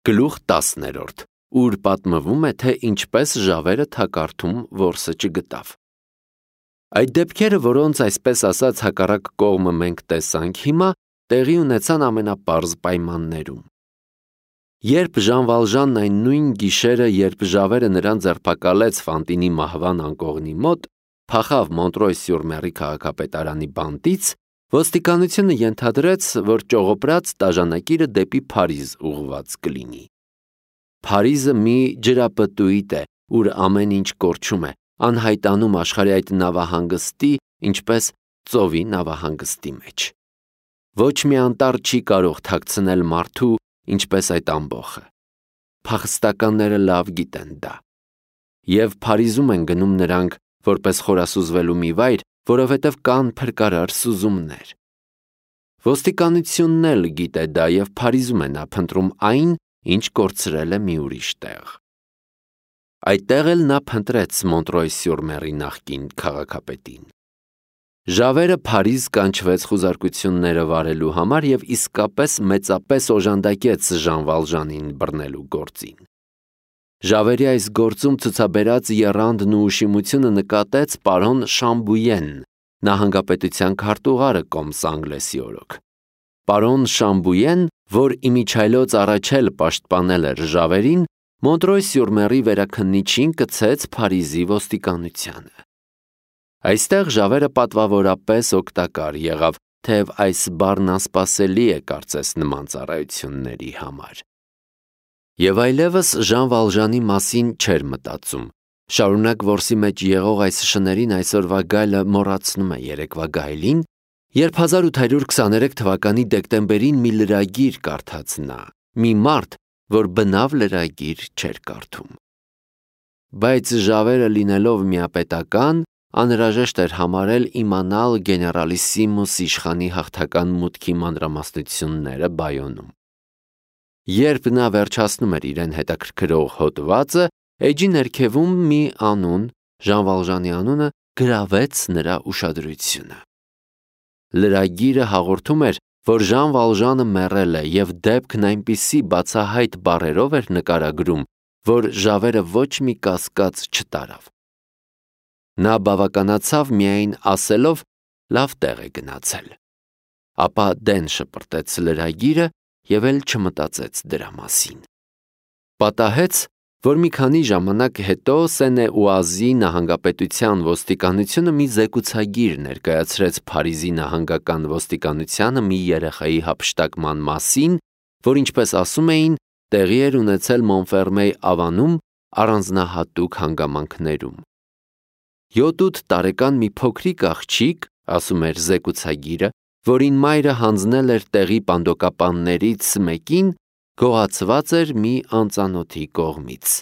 Գլուխ 10, ուր պատմվում է, թե ինչպես ժավերը թակարդում որսը չգտավ։ Այդ դեպքերը, որոնց այսպես ասած հակառակ կողմը մենք տեսանք հիմա, տեղի ունեցան ամենապարզ պայմաններում։ Երբ Ժան Վալժանն այն նույն գիշերը, երբ ժավերը նրան ձերբակալեց Ֆանտինի մահվան անկողնի մոտ, փախավ Մոնտրոյ-սյուր-Մերի քաղաքապետարանի բանտից, ոստիկանությունը ենթադրեց, որ ճողոպրած դաժանակիրը դեպի Փարիզ ուղղված կլինի։ Փարիզը մի ջրապտույտ է, ուր ամեն ինչ կորչում է, անհայտանում աշխարհի այդ նավահանգստի, ինչպես ծովի նավահանգստի մեջ։ Ոչ մի անտառ չի կարող թաքցնել մարդու, ինչպես այդ ամբոխը։ Փախստականները լավ գիտեն դա։ Եվ Փարիզում են գնում նրանք, որպես խորասուզվելու մի վայր, որովհետև կան փրկարար սուզումներ։ Ոստիկանությունն էլ գիտե դա և Փարիզում է նա փնտրում այն, ինչ կորցրել է մի ուրիշ տեղ։ Այդտեղ էլ նա փնտրեց Մոնտրոյ-սյուր-Մերի նախկին քաղաքապետին։ Ժավերը Փարիզ կանչվեց խուզարկությունները վարելու համար և իսկապես մեծապես օժանդակեց Ժան Վալժանին բռնելու գործին։ Ժավերի այս գործում ցուցաբերած եռանդն ու ուշիմությունը նկատեց պարոն Շամբույեն, նահանգապետության քարտուղարը Կոմսանգլեսի օրոք։ Պարոն Շամբույեն, որ իմիջիայլոց առաջ էլ պաշտպանել էր ժավերին, Մոնտրոյ-սյուր-Մերի վերաքննիչին կցեց Փարիզի ոստիկանությանը։ Այստեղ ժավերը պատվավորապես օգտակար եղավ, թեև այս բառն անսպասելի է կարծես նման ծառայությունների համար։ Եվ այլևս Ժան Վալժանի մասին չէր մտածում։ Շարունակ որսի մեջ եղող այս շներին այսօրվա գայլը մոռացնում է երեկվա գայլին, երբ 1823 թվականի դեկտեմբերին մի լրագիր կարդաց նա, մի մարդ, որ բնավ լրագիր չէր կարդում։ Բայց ժավերը լինելով միապետական, անհրաժեշտ էր համարել իմանալ գեներալիսիմուս իշխանի հաղթական մուտքի մանրամասնությունները Բայոնում։ Երբ նա վերջացնում էր իրեն հետաքրքրող հոդվածը, էջի ներքևում մի անուն, Ժան Վալժանի անունը, գրավեց նրա ուշադրությունը։ Լրագիրը հաղորդում էր, որ Ժան Վալժանը մեռել է և դեպքն այնպիսի բացահայտ բառերով էր նկարագրում, որ ժավերը ոչ մի կասկած չտարավ։ Նա բավականացավ միայն ասելով լավ տեղ է գնացել։ Ապա դեն շպրտեց լրագիրը և էլ չմտածեց դրա մասին։ Պատահեց, որ մի քանի ժամանակ հետո Սենե-Ուազի նահանգապետության ոստիկանությունը մի զեկուցագիր ներկայացրեց Փարիզի նահանգական ոստիկանությանը մի երեխայի հափշտակման մասին, որ ինչպես ասում էին, տեղի էր ունեցել Մոնֆերմեյ ավանում առանձնահատուկ հանգամանքներում։ 7-8 տարեկան մի փոքրիկ աղջիկ, ասում էր զեկուցագիրը, որին մայրը հանձնել էր տեղի պանդոկապաններից մեկին, գողացված էր մի անծանոթի կողմից։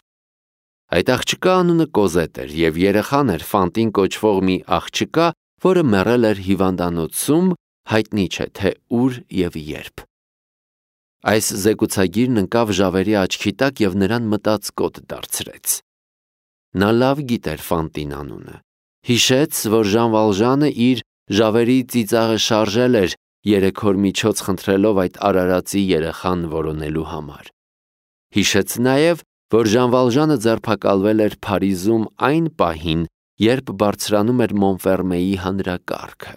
Այդ աղջկա անունը Կոզետ էր և երեխան էր Ֆանտին կոչվող մի աղջկա, որը մեռել էր հիվանդանոցում, հայտնի չէ թե ուր և երբ։ Այս զեկուցագիրն ընկավ ժավերի աչքի տակ և նրան մտածկոտ դարձրեց։ Նա լավ գիտեր Ֆանտին անունը։ Հիշեց, որ Ժան Վալժանը իր ժավերի ծիծաղը շարժել էր 3 օր միջոց խնդրելով այդ արարածի երեխան որոնելու համար։ Հիշեց նաև, որ Ժան Վալժանը ձերբակալվել էր Փարիզում այն պահին, երբ բարձրանում էր Մոնֆերմեյի հանրակարգը։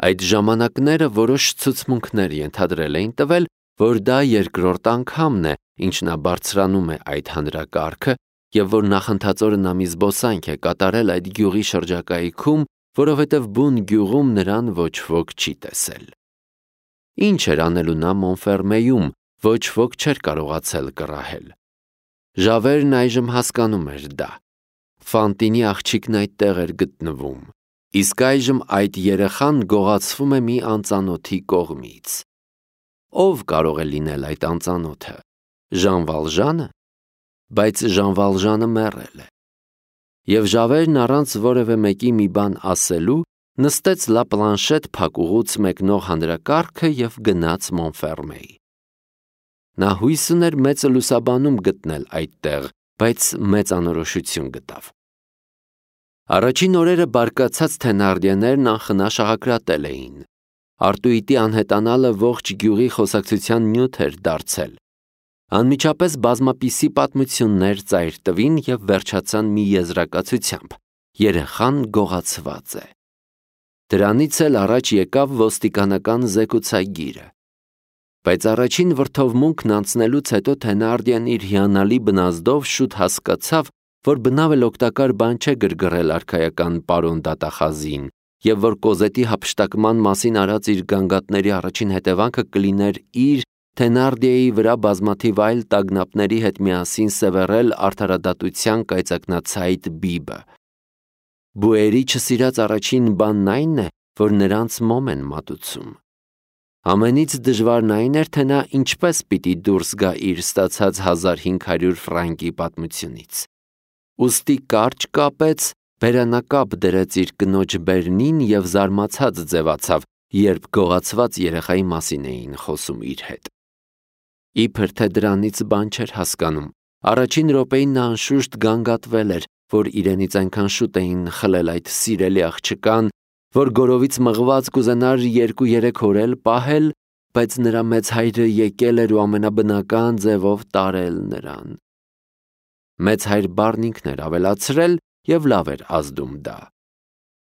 Այդ ժամանակները որոշ ցուցմունքներ ենթադրել էին տվել, որ դա երկրորդ անգամն է, ինչ նա բարձրանում է այդ հանրակարգը, և որ նախընթացորը նա մի զբոսանք է կատարել այդ գյուղի շրջակայքում, որովհետև բուն գյուղում նրան ոչ ոք չի տեսել։ Ինչ էր անելու նա Մոնֆերմեյում, ոչ ոք չէր կարողացել կռահել։ Ժավերն այժմ հասկանում էր դա։ Ֆանտինի աղջիկն այդտեղ էր գտնվում, իսկ այժմ այդ երեխան գողացվում է մի անծանոթի կողմից։ Ո՞վ կարող է լինել այդ անծանոթը։ Ժան Վալժանը։ Բայց Ժան Վալժանը մեռել է։ Եվ ժավերն առանց որևէ մեկի մի բան ասելու նստեց Լա Պլանշետ փակուղուց մեկնող հանրակարգը և գնաց Մոնֆերմեյ։ Նա հույս ուներ մեծը լուսաբանում գտնել այդտեղ, բայց մեծ անորոշություն գտավ։ Առաջին օրերը բարկացած Թենարդիեներն անխնա շաղակրատել էին։ Արտուիտի անհետանալը ողջ գյուղի խոսակցության նյութ էր դարձել։ Անմիջապես բազմապիսի պատմություններ ծայր տվին և վերջացան մի եզրակացությամբ. երեխան գողացված է։ Դրանից էլ առաջ եկավ ոստիկանական զեկուցագիրը։ Բայց առաջին վրդովմունքն անցնելուց հետո Թենարդիեն իր հիանալի բնազդով շուտ հասկացավ, որ բնավ էլ օգտակար բան չէ գրգռել արքայական պարոն դատախազին, և որ Կոզետի հափշտակման մասին արած իր գանգատների առաջին հետևանքը կլիներ իր Թենարդիեի վրա բազմաթիվ այլ տագնապների հետ միասին սևեռել արդարադատության կայծակնացայտ բիբը։ Բուերի չսիրած առաջին բանն այն է, որ նրանց մոմ են մատուցում։ Ամենից դժվարն այն էր, թե նա ինչպես պիտի դուրս գա իր ստացած 1500 ֆրանկի պատմությունից։ Ուստի կարճ կապեց, բերանակապ դրեց իր կնոջ բերնին և զարմացած ձևացավ, երբ գողացված երեխայի մասին էին խոսում իր հետ։ Իբր թե դրանից բան չէր հասկանում, առաջին րոպեին նա անշուշտ գանգատվել էր, որ իրենից այնքան շուտ էին խլել այդ սիրելի աղջկան, որ գորովից մղված կուզենար 2-3 օր էլ պահել, բայց նրա մեծ հայրը եկել էր ու ամենաբնական ձևով տարել նրան։ Մեծ հայր բառն ինքն էր ավելացրել և լավ էր ազդում դա։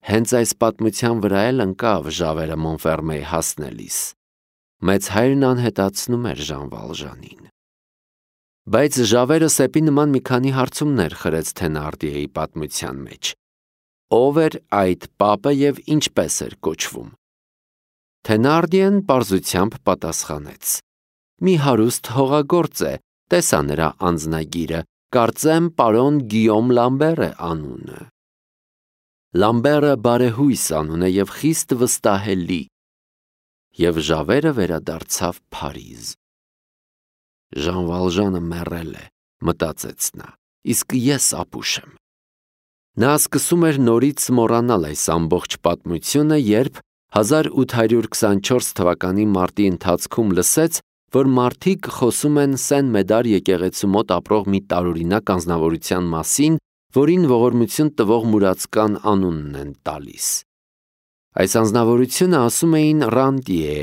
Հենց այս պատմության վրա էլ ընկավ Ժավերը Մոնֆերմեի հասնելիս։ Մեծ հայրն անհետացնում էր Ժան Վալժանին։ Բայց Ժավերը սեպի նման մի քանի հարցումներ խրեց Թենարդիեի պատմության մեջ։ Ով էր այդ պապը և ինչպես էր կոչվում։ Թենարդիեն պարզությամբ պատասխանեց. մի հարուստ հողագործ է, տեսա նրա անձնագիրը, կարծեմ պարոն Գիյոմ Լամբեր է անունը։ Լամբերը բարեհույս անուն է և խիստ վստահելի։ Եվ Ժավերը վերադարձավ Փարիզ։ Ժան Վալժանը մեռել է, մտածեց նա, իսկ ես ապուշ եմ։ Նա սկսում էր նորից մոռանալ այս ամբողջ պատմությունը, երբ 1824 թվականի մարտի ընթացքում լսեց, որ մարդիկ խոսում են Սեն Մեդար եկեղեցու մոտ ապրող մի տարօրինակ անձնավորության մասին, որին ողորմություն տվող մուրացկան անունն են տալիս։ Այս անձնավորությունը ասում էին Ռանդիե,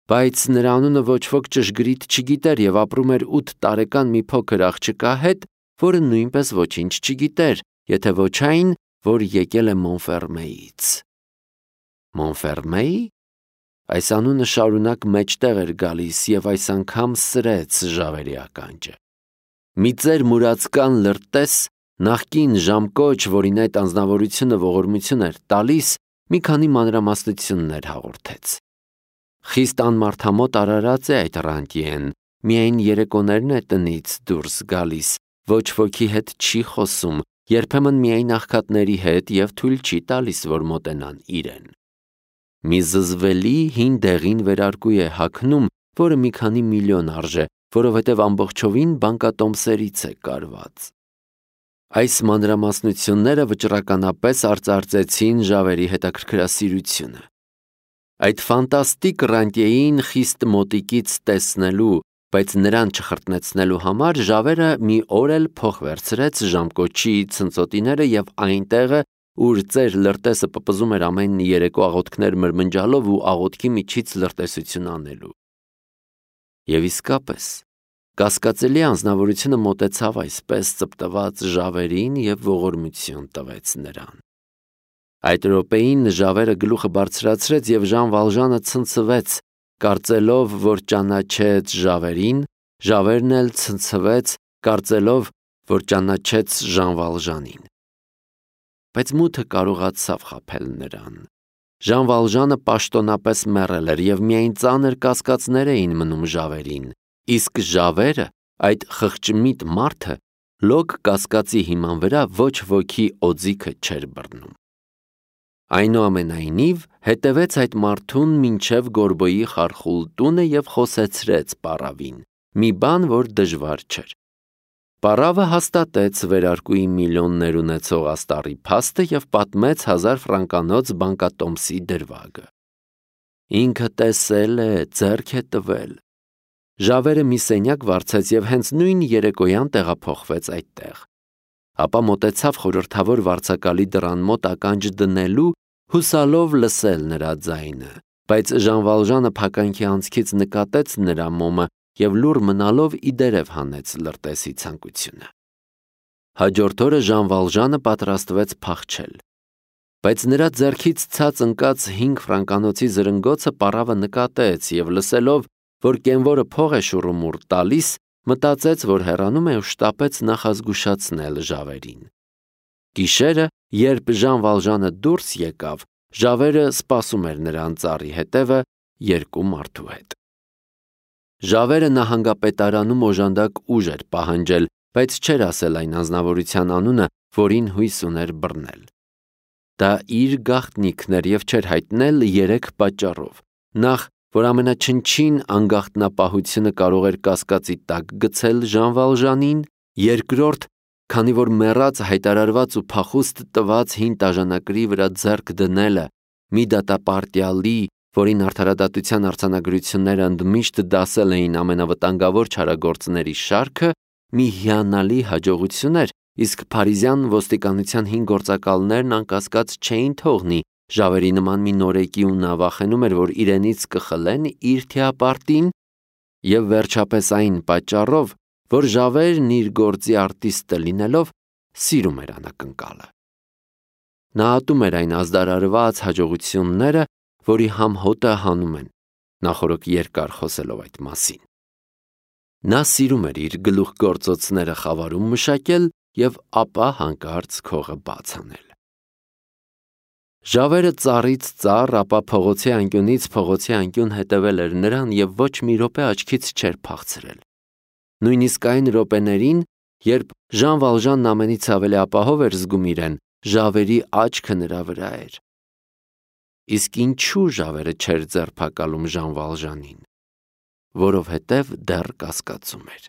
բայց նրա անունը ոչ ոք ճշգրիտ չգիտեր և ապրում էր 8 տարեկան մի փոքր աղջկա հետ, որը նույնպես ոչինչ չգիտեր, եթե ոչ այն, որ եկել է Մոնֆերմեից։ Մոնֆերմեի՞։ Այս անունը շարունակ մեջտեղ էր գալիս և այս անգամ սրեց Ժավերի ականջը։ Մի ծեր մուրացկան լրտես, նախկին ժամկոչ, որին այդ անձնավորությունը ողորմություն էր տալիս, մի քանի մանրամասնություններ հաղորդեց։ Խիստ անմարդամոտ արարած է այդ Ռանդիեն, միայն երեկոներն է տնից դուրս գալիս, ոչ ոքի հետ չի խոսում, երբեմն միայն աղքատների հետ և թույլ չի տալիս, որ մոտենան իրեն։ Մի զզվելի հին դեղին վերարկու է հագնում, որը մի քանի միլիոն արժե, որովհետև ամբողջովին բանկատոմսերից է կարված։ Այս մանրամասնությունները վճռականապես արծարծեցին Ժավերի հետաքրքրասիրությունը։ Այդ ֆանտաստիկ Ռանդիեին խիստ մոտիկից տեսնելու, բայց նրան չխրտնեցնելու համար Ժավերը մի օր էլ փող վերցրեց ժամկոչի ցնծոտիները և այնտեղը, ուր ծեր լրտեսը պպզում էր ամեն երեկո աղոթքներ մրմնջալով ու աղոթքի միջից լրտեսություն անելու։ Եվ իսկապես, կասկածելի անձնավորությունը մոտեցավ այսպես ծպտված Ժավերին և ողորմություն տվեց նրան։ Այդ րոպեին Ժավերը գլուխը բարձրացրեց և Ժան Վալժանը ցնցվեց, կարծելով, որ ճանաչեց Ժավերին, Ժավերն էլ ցնցվեց, կարծելով, որ ճանաչեց Ժան Վալժանին։ Բայց մութը կարողացավ խաբել նրան։ Ժան Վալժանը պաշտոնապես մեռել էր և միայն ծանր կասկածներ էին մնում Ժավերին, իսկ Ժավերը, այդ խղճմիտ մարդը, լոկ կասկածի հիման վրա ոչ ոքի օձիքը չէր բռնում։ Այնուամենայնիվ, հետևեց այդ մարդուն մինչև Գորբոյի խարխուլ տունը և խոսեցրեց պառավին, մի բան, որ դժվար չէր։ Պառավը հաստատեց վերարկուի միլիոններ ունեցող աստառի փաստը և պատմեց 1000 ֆրանկանոց բանկատոմսի դրվագը։ Ինքը տեսել է, ձեռք է տվել։ Ժավերը մի սենյակ վարձեց և հենց նույն երեկոյան տեղափոխվեց այդտեղ։ Ապա մոտեցավ խորհրդավոր վարձակալի դռան մոտ ականջ դնելու, հուսալով լսել նրա ձայնը, բայց Ժան Վալժանը փականքի անցքից նկատեց նրա մոմը և լուռ մնալով ի դերև հանեց լրտեսի ցանկությունը։ Հաջորդ օրը Ժան Վալժանը պատրաստվեց փախչել, բայց նրա ձեռքից ցած ընկած 5 ֆրանկանոցի զրնգոցը պառավը նկատեց և լսելով, որ կենվորը փող է շուռումուռ տալիս, մտածեց, որ հեռանում է ու շտապեց նախազգուշացնել Ժավերին։ Գիշերը, երբ Ժան Վալժանը դուրս եկավ, Ժավերը սպասում էր նրան ծառի հետևը 2 մարդու հետ։ Ժավերը նահանգապետարանում օժանդակ ուժ էր պահանջել, բայց չէր ասել այն անձնավորության անունը, որին հույս ուներ բռնել։ Դա իր գաղտնիքն էր և չէր հայտնել 3 պատճառով. նախ, որ ամենաչնչին անգաղտնապահությունը կարող էր կասկածի տակ գցել Ժան Վալժանին, երկրորդ, քանի որ մեռած հայտարարված ու փախուստ տված հին տաժանակրի վրա ձեռք դնելը մի դատապարտյալի, որին արդարադատության արձանագրությունները ընդմիշտ դասել էին ամենավտանգավոր չարագործների շարքը, մի հիանալի հաջողություն էր, իսկ փարիզյան ոստիկանության 5 գործակալներն անկասկած չէին թողնի Ժավերի նման մի նորեկի ու նա վախենում էր, որ իրենից կխլեն իր թեապարտին, և վերջապես այն պատճառով, որ Ժավերն իր գործի արտիստը լինելով սիրում էր անակնկալը։ Նա ատում էր այն ազդարարված հաջողությունները, որի համ հոտը հանում են, նախօրոք երկար խոսելով այդ մասին։ Նա սիրում էր իր գլուխգործոցները խավարում մշակել և ապա հանկարծ քողը բաց անել։ Ժավերը ծառից ծառ, ապա փողոցի անկյունից փողոցի անկյուն հետևել էր նրան և ոչ մի րոպե աչքից չէր փախցրել։ Նույնիսկ այն րոպեներին, երբ Ժան Վալժանն ամենից ավելի ապահով էր զգում իրեն, Ժավերի աչքը նրա վրա էր։ Իսկ ինչու Ժավերը չէր ձերբակալում Ժան Վալժանին։ Որովհետև դեռ կասկածում էր։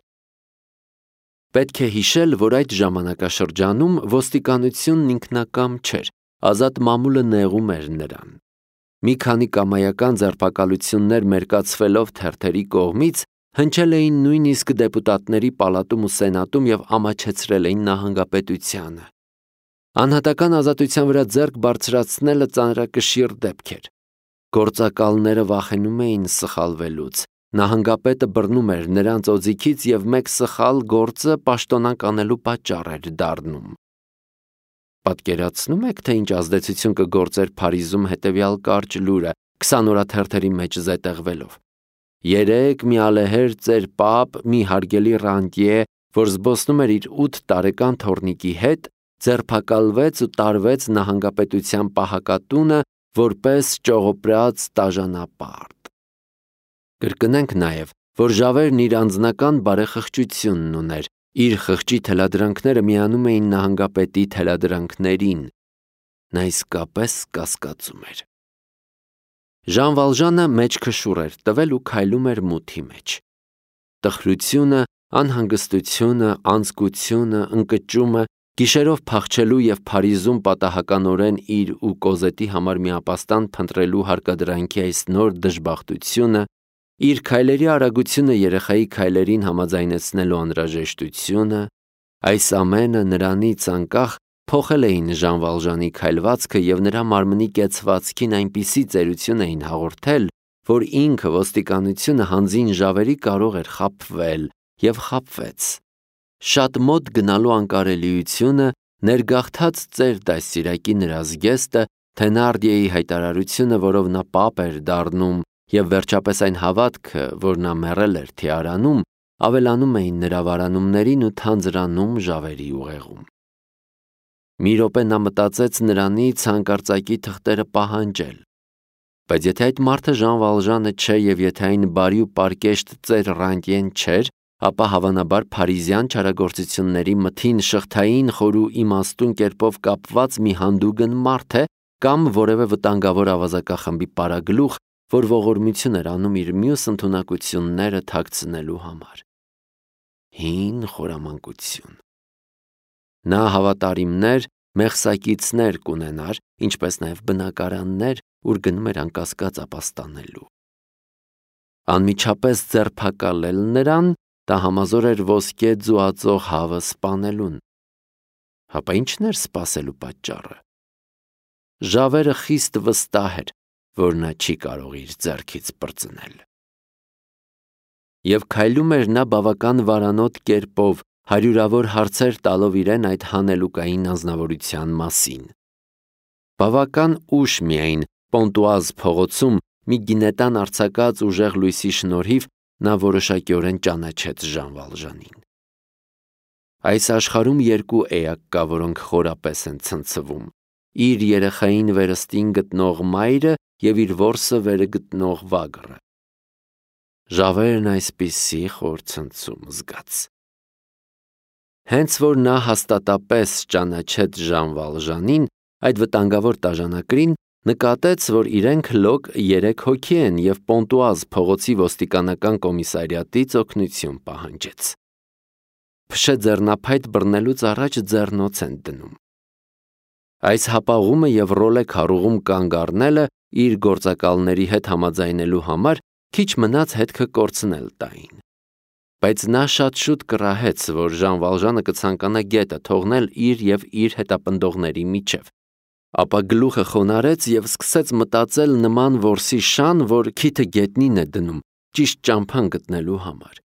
Պետք է հիշել, որ այդ ժամանակաշրջանում ոստիկանությունն ինքնակամ չէր, ազատ մամուլը նեղում էր նրան։ Մի քանի կամայական ձերբակալություններ մերկացվելով թերթերի կողմից հնչել էին նույնիսկ դեպուտատների պալատում ու սենատում և ամաչեցրել էին նահանգապետությանը։ Անհատական ազատության վրա ձեռք բարձրացնելը ծանրակշիռ դեպք էր։ Գործակալները վախենում էին սխալվելուց, նահանգապետը բռնում էր նրանց օձիքից և մեկ սխալ գործը պաշտոնանկ անելու պատճառ էր դառնում։ Պատկերացնո՞ւմ եք, թե ինչ ազդեցություն կգործեր Փարիզում հետևյալ կարճ լուրը 20 օրաթերթերի մեջ զետեղվելով. երեկ մի ալեհեր ծեր պապ, մի հարգելի ռանտյե, որ զբոսնում էր իր 8 տարեկան թոռնիկի հետ, ձերբակալվեց ու տարվեց նահանգապետության պահակատունը որպես ճողոպրած տաժանապարտ։ Կրկնենք նաև, որ Ժավերն իր անձնական բարեխղճությունն ուներ, իր խղճի թելադրանքները միանում էին նահանգապետի թելադրանքներին։ Նա իսկապես կասկածում էր։ Ժան Վալժանը մեջքշուռ էր տվել ու քայլում էր մութի մեջ։ Տխրությունը, անհանգստությունը, անձկությունը, ընկճումը, գիշերով փախչելու և Փարիզում պատահականորեն իր ու Կոզետի համար մի ապաստան փնտրելու հարկադրանքի այս նոր դժբախտությունը, իր քայլերի արագությունը երեխայի քայլերին համաձայնեցնելու անհրաժեշտությունը, այս ամենը նրանից անկախ փոխել էին Ժան Վալժանի քայլվածքը և նրա մարմնի կեցվածքին այնպիսի ծերություն էին հաղորդել, որ ինքը ոստիկանությունը հանձին Ժավերի կարող էր խաբվել և խաբվեց։ Շատ մոտ գնալու անկարելիությունը, ներգաղթած ծեր դաստիարակի նրա զգեստը, Թենարդիեի հայտարարությունը, որով նա պապ էր դառնում, և վերջապես այն հավատքը, որ նա մեռել էր թիարանում, ավելանում էին նրա վարանումներին ու թանձրանում Ժավերի ուղեղում։ Մի րոպե նա մտածեց նրանից հանկարծակի թղթերը պահանջել։ Բայց եթե այդ մարդը Ժան Վալժանը չէ և եթե այն բարի ու պարկեշտ ծեր Ռանտյեն չէր, ապա հավանաբար փարիզյան չարագործությունների մթին շղթային խոր ու իմաստուն կերպով կապված մի հանդուգն մարդ է կամ որևէ վտանգավոր ավազակախմբի պարագլուխ, որ ողորմություն էր անում իր մյուս ընդունակությունները թաքցնելու համար։ Հին խորամանկություն։ Նա հավատարիմներ, մեղսակիցներ կունենար, ինչպես նաև բնակարաններ, ուր գնում էր անկասկած ապաստանելու։ Անմիջապես ձերբակալել նրան, դա համազոր էր ոսկե ձուածող հավը սպանելուն։ Հապա ի՞նչն էր սպասելու պատճառը։ Ժավերը խիստ վստահ էր, որ նա չի կարող իր ձեռքից պրծնել։ Եվ քայլում էր նա բավական վարանոտ կերպով, հարյուրավոր հարցեր տալով իրեն այդ հանելուկային անձնավորության մասին։ Բավական ուշ միայն Պոնտուազ փողոցում մի գինետան արձակած ուժեղ լույսի շնորհիվ նա որոշակիորեն ճանաչեց Ժան Վալժանին։ Այս աշխարհում երկու էակ կա, որոնք խորապես են ցնցվում՝ իր երեխային վերստին գտնող մայրը և իր որսը վերը գտնող վագրը։ Ժավերն այսպիսի խոր ցնցում զգաց։ Հենց որ նա հաստատապես ճանաչեց Ժան Վալժանին, այդ վտանգավոր տաժանակրին, նկատեց, որ իրենք լոկ 3 հոգի են և Պոնտուազ փողոցի ոստիկանական կոմիսարիատից օգնություն պահանջեց։ Փշե ձեռնափայտ բռնելուց առաջ ձեռնոց են դնում։ Այս հապաղումը և ռոլե քառուղում կանգ առնելը իր գործակալների հետ համաձայնելու համար քիչ մնաց հետքը կորցնել տային։ Բայց նա շատ շուտ կռահեց, որ Ժան Վալժանը կցանկանա գետը թողնել իր և իր հետապնդողների միջև, ապա գլուխը խոնարհեց և սկսեց մտածել նման որսի շան, որ քիթը գետնին է դնում, ճիշտ ճամփան գտնելու համար։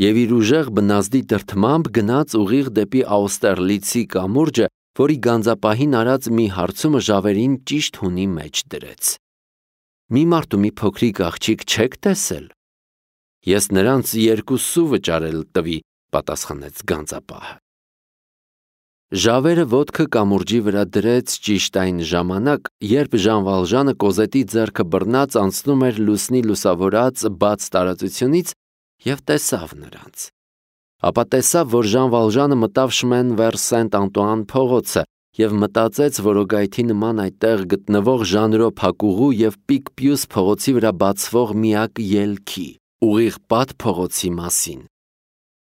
Եվ իր ուժեղ բնազդի դրդմամբ գնաց ուղիղ դեպի Աուստերլիցի կամուրջը, որի գանձապահին արած մի հարցումը Ժավերին ճիշտ հունի մեջ դրեց։ Մի մարդ ու մի փոքրիկ աղջիկ չեք տեսել։ Ես նրանց 2 սու վճարել տվի, պատասխանեց գանձապահը։ Ժավերը ոտքը կամուրջի վրա դրեց ճիշտ այն ժամանակ, երբ Ժան Վալժանը կոզետի ձեռքը բռնած անցնում էր լուսնի լուսավորած բաց տարածությունից և տեսավ նրանց։ Ապա տեսավ, որ Ժան Վալժանը մտավ Շմեն վեր Սենտ Անտուան փողոցը և մտածեց որոգայթի նման այդտեղ գտնվող Ժանրո փակուղու և Պիկպյուս փողոցի վրա բացվող միակ ելքի՝ ուղիղ Պատ փողոցի մասին։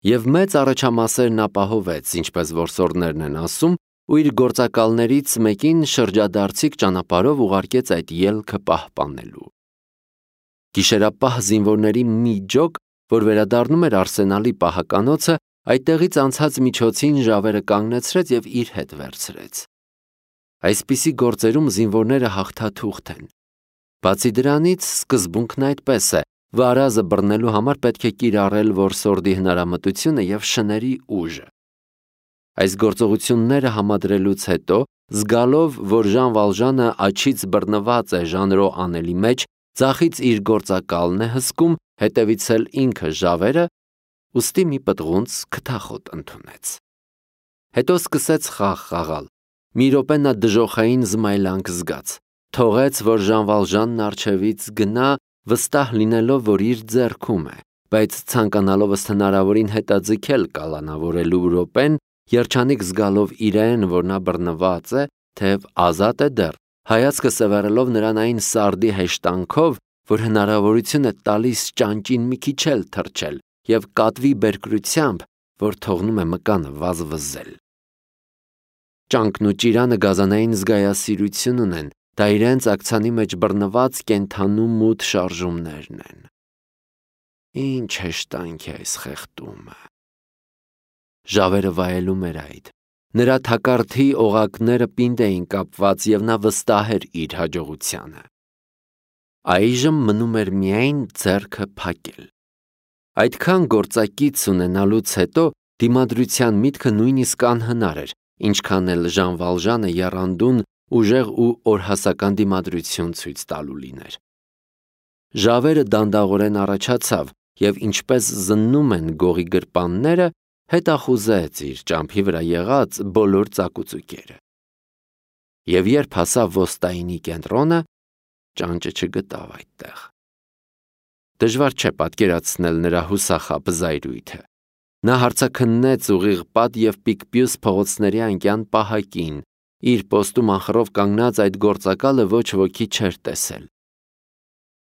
Եվ մեծ առաջամասերն ապահովեց, ինչպես որսորդներն են ասում, ու իր գործակալներից մեկին շրջադարձիկ ճանապարհով ուղարկեց այդ ելքը պահպանելու։ Գիշերապահ զինվորների մի ջոկ, որ վերադառնում էր Արսենալի պահականոցը, այդտեղից անցած միջոցին Ժավերը կանգնեցրեց և իր հետ վերցրեց։ Այսպիսի գործերում զինվորները հաղթաթուղթ են։ Բացի դրանից, սկզբունքն այդպես է. վարազը բռնելու համար պետք է կիրառել որսորդի հնարամտությունը և շների ուժը։ Այս գործողությունները համադրելուց հետո, զգալով, որ Ժան Վալժանը աջից բռնված է Ժանրո անելի մեջ, ձախից իր գործակալն է հսկում, հետևից էլ ինքը Ժավերը, ուստի մի պտղունց քթախոտ ընդունեց։ Հետո սկսեց խաղ խաղալ։ Մի րոպե նա դժոխային զմայլանք զգաց, թողեց, որ Ժան Վալժանն առջևից գնա, վստահ լինելով, որ իր ձեռքում է, բայց ցանկանալով ըստ հնարավորին հետաձգել կալանավորելու րոպեն, երջանիկ զգալով իրեն, որ նա բռնված է, թեև ազատ է դեռ, հայացքը սևեռելով նրան այն սարդի հեշտանքով, որ հնարավորություն է տալիս ճանճին մի քիչ էլ թռչել, և կատվի բերկրությամբ, որ թողնում է մկանը վազվզել։ Ճանկն ու ճիրանը գազանային զգայասիրություն ունեն, դա իրենց աքցանի մեջ բռնված կենդանու մութ շարժումներն են։ Ինչ հեշտանք է այս խեղդումը։ Ժավերը վայելում էր այդ։ Նրա թակարդի օղակները պինդ էին կապված և նա վստահ էր իր հաջողությանը։ Այժմ մնում էր միայն ձեռքը փակել։ Այդքան գործակից ունենալուց հետո դիմադրության միտքը նույնիսկ անհնար էր, ինչքան էլ Ժան Վալժանը եռանդուն, ուժեղ ու օրհասական դիմադրություն ցույց տալու լիներ։ Ժավերը դանդաղորեն առաջացավ և ինչպես զննում են գողի գրպանները, հետախուզեց իր ճամփի վրա եղած բոլոր ծակուծուկերը։ Եվ երբ հասավ ոստայինի կենտրոնը, ճանճը չգտավ այդտեղ։ Դժվար չէ պատկերացնել նրա հուսախաբ զայրույթը։ Նա հարցաքննեց ուղիղ Պատ և Պիկպյուս փողոցների անկյան պահակին, իր պոստում անխռով կանգնած այդ գործակալը ոչ ոքի չէր տեսել։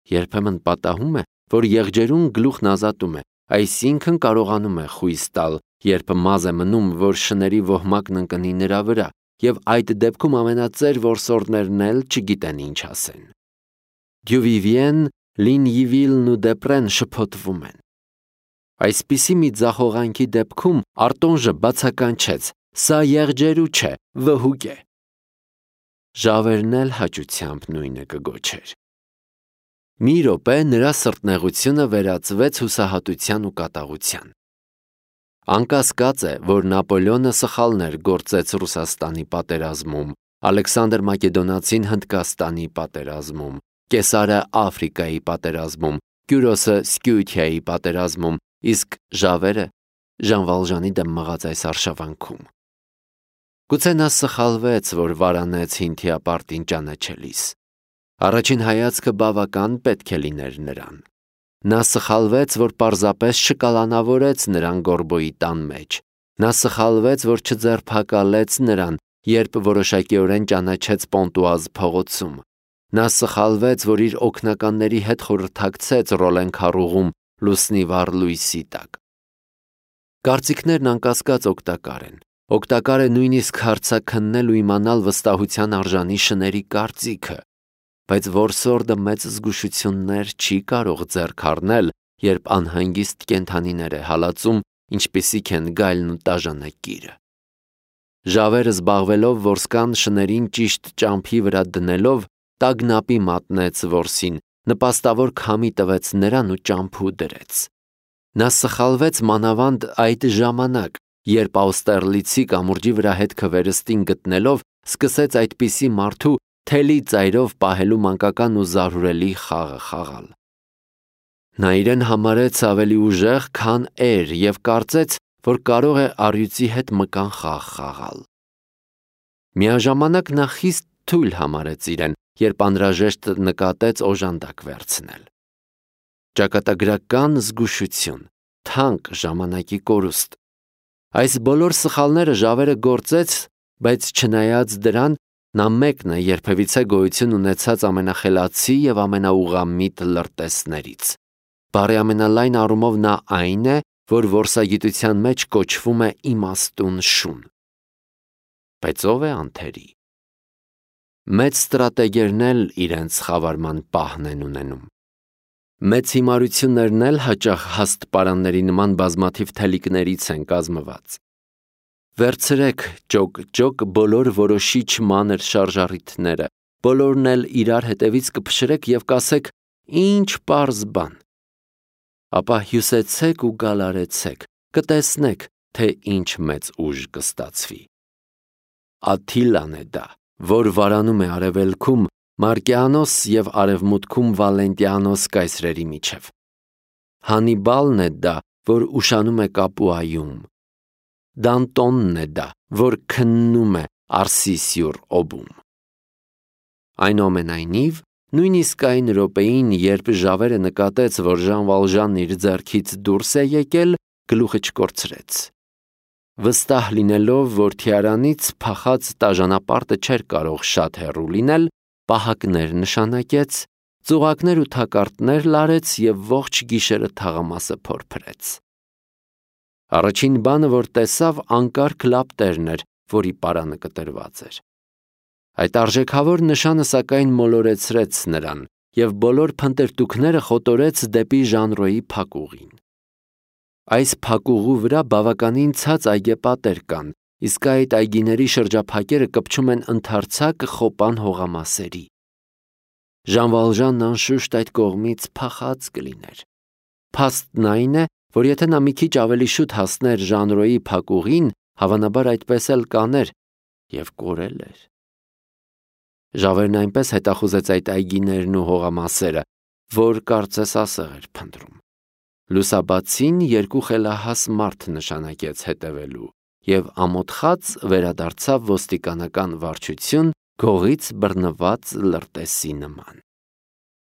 Երբեմն պատահում է, որ եղջերուն գլուխն ազատում է, այսինքն կարողանում է խույս տալ, երբ մազ է մնում, որ շների ոհմակն ընկնի նրա վրա, և այդ դեպքում ամենածեր որսորդներն էլ չգիտեն ինչ ասեն։ Դյուվիվիեն, Լինյիվիլն ու Դեպրեն շփոթվում են։ Այսպիսի մի ձախողանքի դեպքում Արտոնժը բացականչեց. «Սա եղջերու չէ, վհուկ է»։ Ժավերն էլ հաճությամբ նույնը կգոչեր։ Մի րոպե նրա սրտնեղությունը վերածվեց հուսահատության ու կատաղության։ Անկասկած է, որ Նապոլեոնը սխալներ գործեց Ռուսաստանի պատերազմում, Ալեքսանդր Մակեդոնացին Հնդկաստանի պատերազմում, Կեսարը Աֆրիկայի պատերազմում, Կյուրոսը Սկյուիթիայի պատերազմում, իսկ Ժավերը Ժան Վալժանի դեմ մղած այս արշավանքում։ Գուցե նա սխալվեց, որ վարանեց Հինթիապարտին ճանաչելիս։ Առաջին հայացքը բավական պետք է լիներ նրան։ Նա սխալվեց, որ պարզապես չկալանավորեց նրան Գորբոյի տան մեջ։ Նա սխալվեց, որ չձերբակալեց նրան, երբ որոշակիորեն ճանաչեց Պոնտուազ փողոցում։ Նա սխալվեց, որ իր օգնականների հետ խորհրդակցեց Ռոլեն քառուղում լուսնի վառ լույսի տակ։ Կարծիքներն անկասկած օգտակար են։ Օգտակար է նույնիսկ հարցաքննել ու իմանալ վստահության արժանի շների կարծիքը, բայց որսորդը մեծ զգուշություններ չի կարող ձեռք առնել, երբ անհանգիստ կենդանիներ է հալածում, ինչպիսիք են գայլն ու տաժանակիրը։ Ժավերը զբաղվելով որսկան շներին ճիշտ ճամփի վրա դնելով, տագնապի մատնեց որսին, նպաստավոր քամի տվեց նրան ու ճամփու դրեց։ Նա սխալվեց մանավանդ այդ ժամանակ, երբ Աուստերլիցի կամուրջի վրա հետքը վերստին գտնելով, սկսեց այդպիսի մարդու թելի ծայրով պահելու մանկական ու զարհուրելի խաղը խաղալ։ Նա իրեն համարեց ավելի ուժեղ, քան էր և կարծեց, որ կարող է առյուծի հետ մկան խաղ խաղալ։ Միաժամանակ նա խիստ թույլ համարեց իրեն, երբ անհրաժեշտ նկատեց օժանդակ վերցնել։ Ճակատագրական զգուշություն, թանկ ժամանակի կորուստ։ Այս բոլոր սխալները Ժավերը գործեց, բայց չնայած դրան, նա մեկն է երբևիցե գոյություն ունեցած ամենախելացի և ամենաուղղամիտ լրտեսներից։ Բառի ամենալայն առումով նա այն է, որ որսագիտության մեջ կոչվում է իմաստուն շուն։ Բայց ով է անթերի։ Մեծ ստրատեգերն էլ իրենց խավարման պահն են ունենում։ Մեծ հիմարություններն էլ հաճախ հաստ պարանների նման բազմաթիվ թելիկներից են կազմված։ Վերցրեք ճոկ բոլոր որոշիչ մանր շարժառիթները, բոլորն էլ իրար հետևից կփշրեք և կասեք ինչ պարզ բան։ Ապա հյուսեցեք ու գալարեցեք, կտեսնեք, թե ինչ մեծ ուժ կստացվի։ Աթիլան է դա, որ վարանում է արևելքում Մարկեանոս և արևմուտքում Վալենտիանոս կայսրերի միջև։ Հանիբալն է դա, որ ուշանում է Կապուայում։ Դանտոնն է դա, որ քննում է Արսիսյուր օբում։ Այնուամենայնիվ, նույնիսկ այն րոպեին, երբ Ժավերը նկատեց, որ Ժան Վալժանն իր ձեռքից դուրս է եկել, գլուխը չկորցրեց։ Վստահ լինելով, որ թիարանից փախած տաժանապարտը չէր կարող շատ հեռու լինել, պահակներ նշանակեց, ծուղակներ ու թակարդներ լարեց և ողջ գիշերը թաղամասը փորփրեց։ Առաջին բանը, որ տեսավ, անկարգ լապտերն էր, որի պարանը կտրված էր։ Այդ արժեքավոր նշանը սակայն մոլորեցրեց նրան, և բոլոր փնտրտուքները խոտորեց դեպի Ժանրոյի փակուղին։ Այս փակուղու վրա բավականին ցած այգեպատեր կան, իսկ այդ այգիների շրջափակերը կպչում են ընդարձակ խոպան հողամասերի։ Ժան Վալժանն անշուշտ այդ կողմից փախած կլիներ։ Փաստն այն է, որ եթե նա մի քիչ ավելի շուտ հասներ Ժանրոյի փակուղին, հավանաբար այդպես էլ կաներ և կորել էր։ Ժավերն այնպես հետախուզեց այդ այգիներն ու հողամասերը, որ կարծես ասեղ էր փնտրում։ Լուսաբացին երկու խելահաս մարդ նշանակեց հետևելու և ամոթխած վերադարձավ ոստիկանական վարչություն գողից բռնված լրտեսի նման։